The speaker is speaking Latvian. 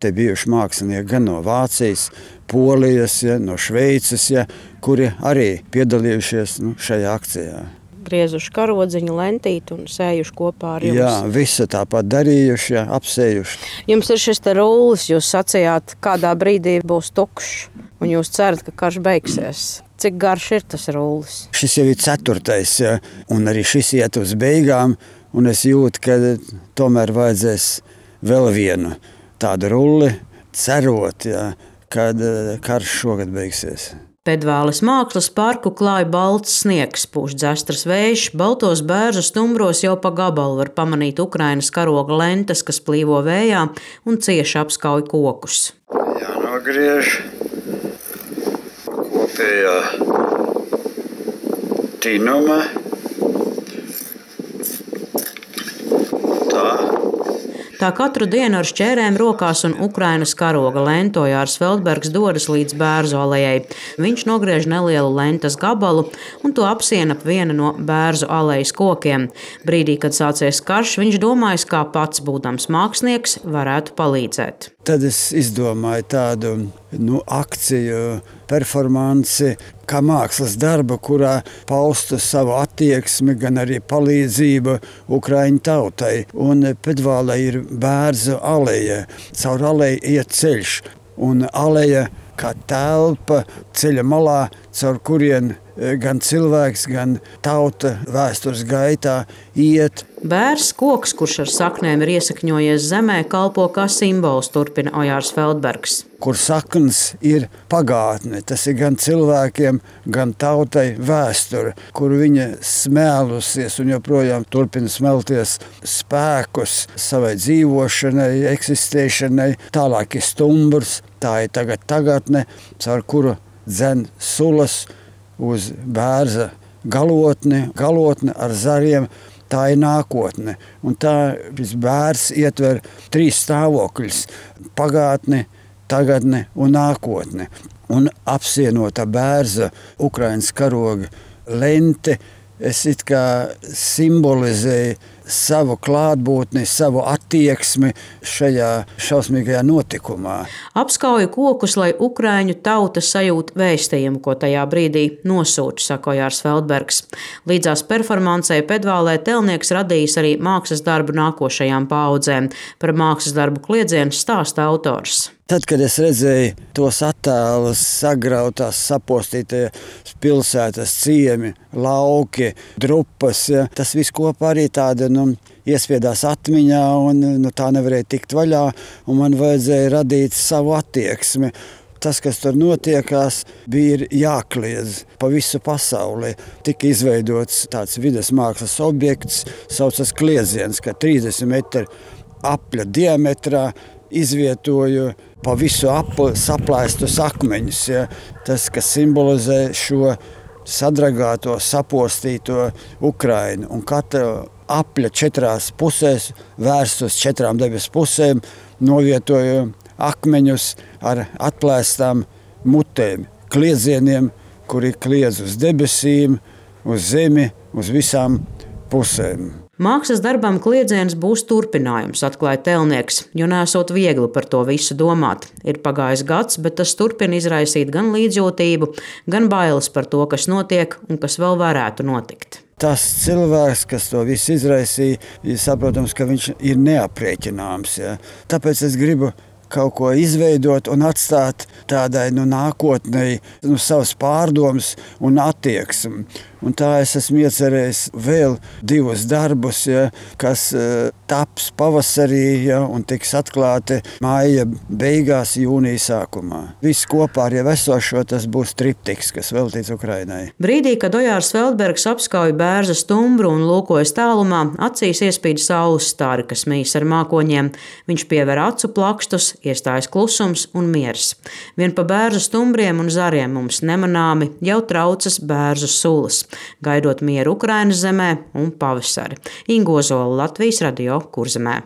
Te bijuši mākslinieki gan no Vācijas, Polijas, no Šveices, kuri arī piedalījušies šajā akcijā. Griezuši karodziņu, lentīti un sējuši kopā ar jums. Jā, visu tāpat darījuši, apsējuši. Jums ir šis te rullis, jūs sacījāt, kādā brīdī būs tukšs, un jūs cerat, ka karš beigsies. Cik garš ir tas rullis? Šis jau ir 4. Un arī šis iet uz beigām, un es jūtu, ka tomēr vajadzēs vēl vienu tādu rulli, cerot, kad karš šogad beigsies. Pedvāles mākslas parku klāj balts sniegs, pūš dzestras vējš, baltos bērzu stumbros jau pa gabalu var pamanīt Ukrainas karoga lentes, kas plīvo vējā un cieši apskauj kokus. Jānogriež kopējā tinuma. Tā katru dienu ar šķērēm rokās un Ukrainas karoga lentu Ojārs Feldbergs dodas līdz Bērzu alejai. Viņš nogriež nelielu lentes gabalu un to apsien ap vienu no Bērzu alejas kokiem. Brīdī, kad sācies karš, viņš domājis, kā pats, būdams mākslinieks, varētu palīdzēt. Tad es izdomāju tādu akciju, performanci, kā mākslas darbu, kurā paustu savu attieksmi, gan arī palīdzību Ukraiņu tautai. Un Pedvālē ir Bērzu aleja. Caur aleju iet ceļš. Un aleja kā telpa ceļa malā, caur kurien gan cilvēks, gan tauta vēstures gaitā iet. Bērs koks, kurš ar saknēm ir iesakņojies zemē, kalpo kā simbols, turpina Ojārs Feldbergs. Kur saknes ir pagātne, tas ir gan cilvēkiem, gan tautai vēsture, kur viņa smēlusies un joprojām turpina smelties spēkus savai dzīvošanai, eksistēšanai. Tālāk ir stumbrs, tā ir tagad tagadne, caur kuru dzen sulas uz Bērza galotni ar zariem. Tā ir nākotne. Un tā šis bērs ietver 3 stāvokļus – pagātni, tagadni un nākotni. Un apsienota Bērza Ukrainas karoga lente, es it kā simbolizēju savu klātbūtni, savu attieksmi šajā šausmīgajā notikumā. Apskauju kokus, lai Ukraiņu tauta sajūt vēstījumu, ko tajā brīdī nosūta, saka Ojārs Feldbergs. Līdzās performancei Pedvālē telnieks radījis arī mākslas darbu nākošajām paaudzēm. Par mākslas darbu kliedzienu stāsta autors. Tad, kad es redzēju tos attēlus, sagrautās, sapostītie pilsētas ciemi, lauki, drupas, tas viss kopā arī tāda iespiedās atmiņā un tā nevarēja tikt vaļā, un man vajadzēja radīt savu attieksmi. Tas, kas tur notiekās, bija jākliedz pa visu pasauli. Tika izveidots tāds vides mākslas objekts, saucas kliedziens, ka 30 metru apļa diametrā izvietoju pa visu apu saplēstus akmeņus. Tas, kas simbolizē šo sadragāto, sapostīto Ukrainu. Un katra apļa 4 pusēs, vērst uz 4 debes pusēm, novietoju akmeņus ar atplēstām mutēm, kliedzieniem, kuri kliedz uz debesīm, uz zemi, uz visām pusēm. Mākslas darbam kliedziens būs turpinājums, atklāja telnieks, jo nesot viegli par to visu domāt. Ir pagājis gads, bet tas turpina izraisīt gan līdzjūtību, gan bailes par to, kas notiek un kas vēl varētu notikt. Tas cilvēks, kas to visu izraisīja, saprotams, ka viņš ir neaprēķināms. Tāpēc es gribu kaut ko izveidot un atstāt tādai nākotnei savas pārdomas un attieksmi. Un tā es esmu iecerējis vēl 2 darbus, kas taps pavasarī un tiks atklāti māja beigās, jūnija sākumā. Viss kopā ar jau esošo tas būs triptiks, kas veltīts Ukrainai. Brīdī, kad Ojārs Feldbergs apskauj Bērza stumbru un lūkojas tālumā, acīs iespīd saules stāri, kas mīs ar mākoņiem. Viņš piever acu plakstus, iestājas klusums un miers. Vien pa Bērza stumbriem un zariem mums nemanāmi jau traucas Bērzu sulas, gaidot mieru Ukrainas zemē un pavasari. Inga Ozola, Latvijas radio Kurzemē.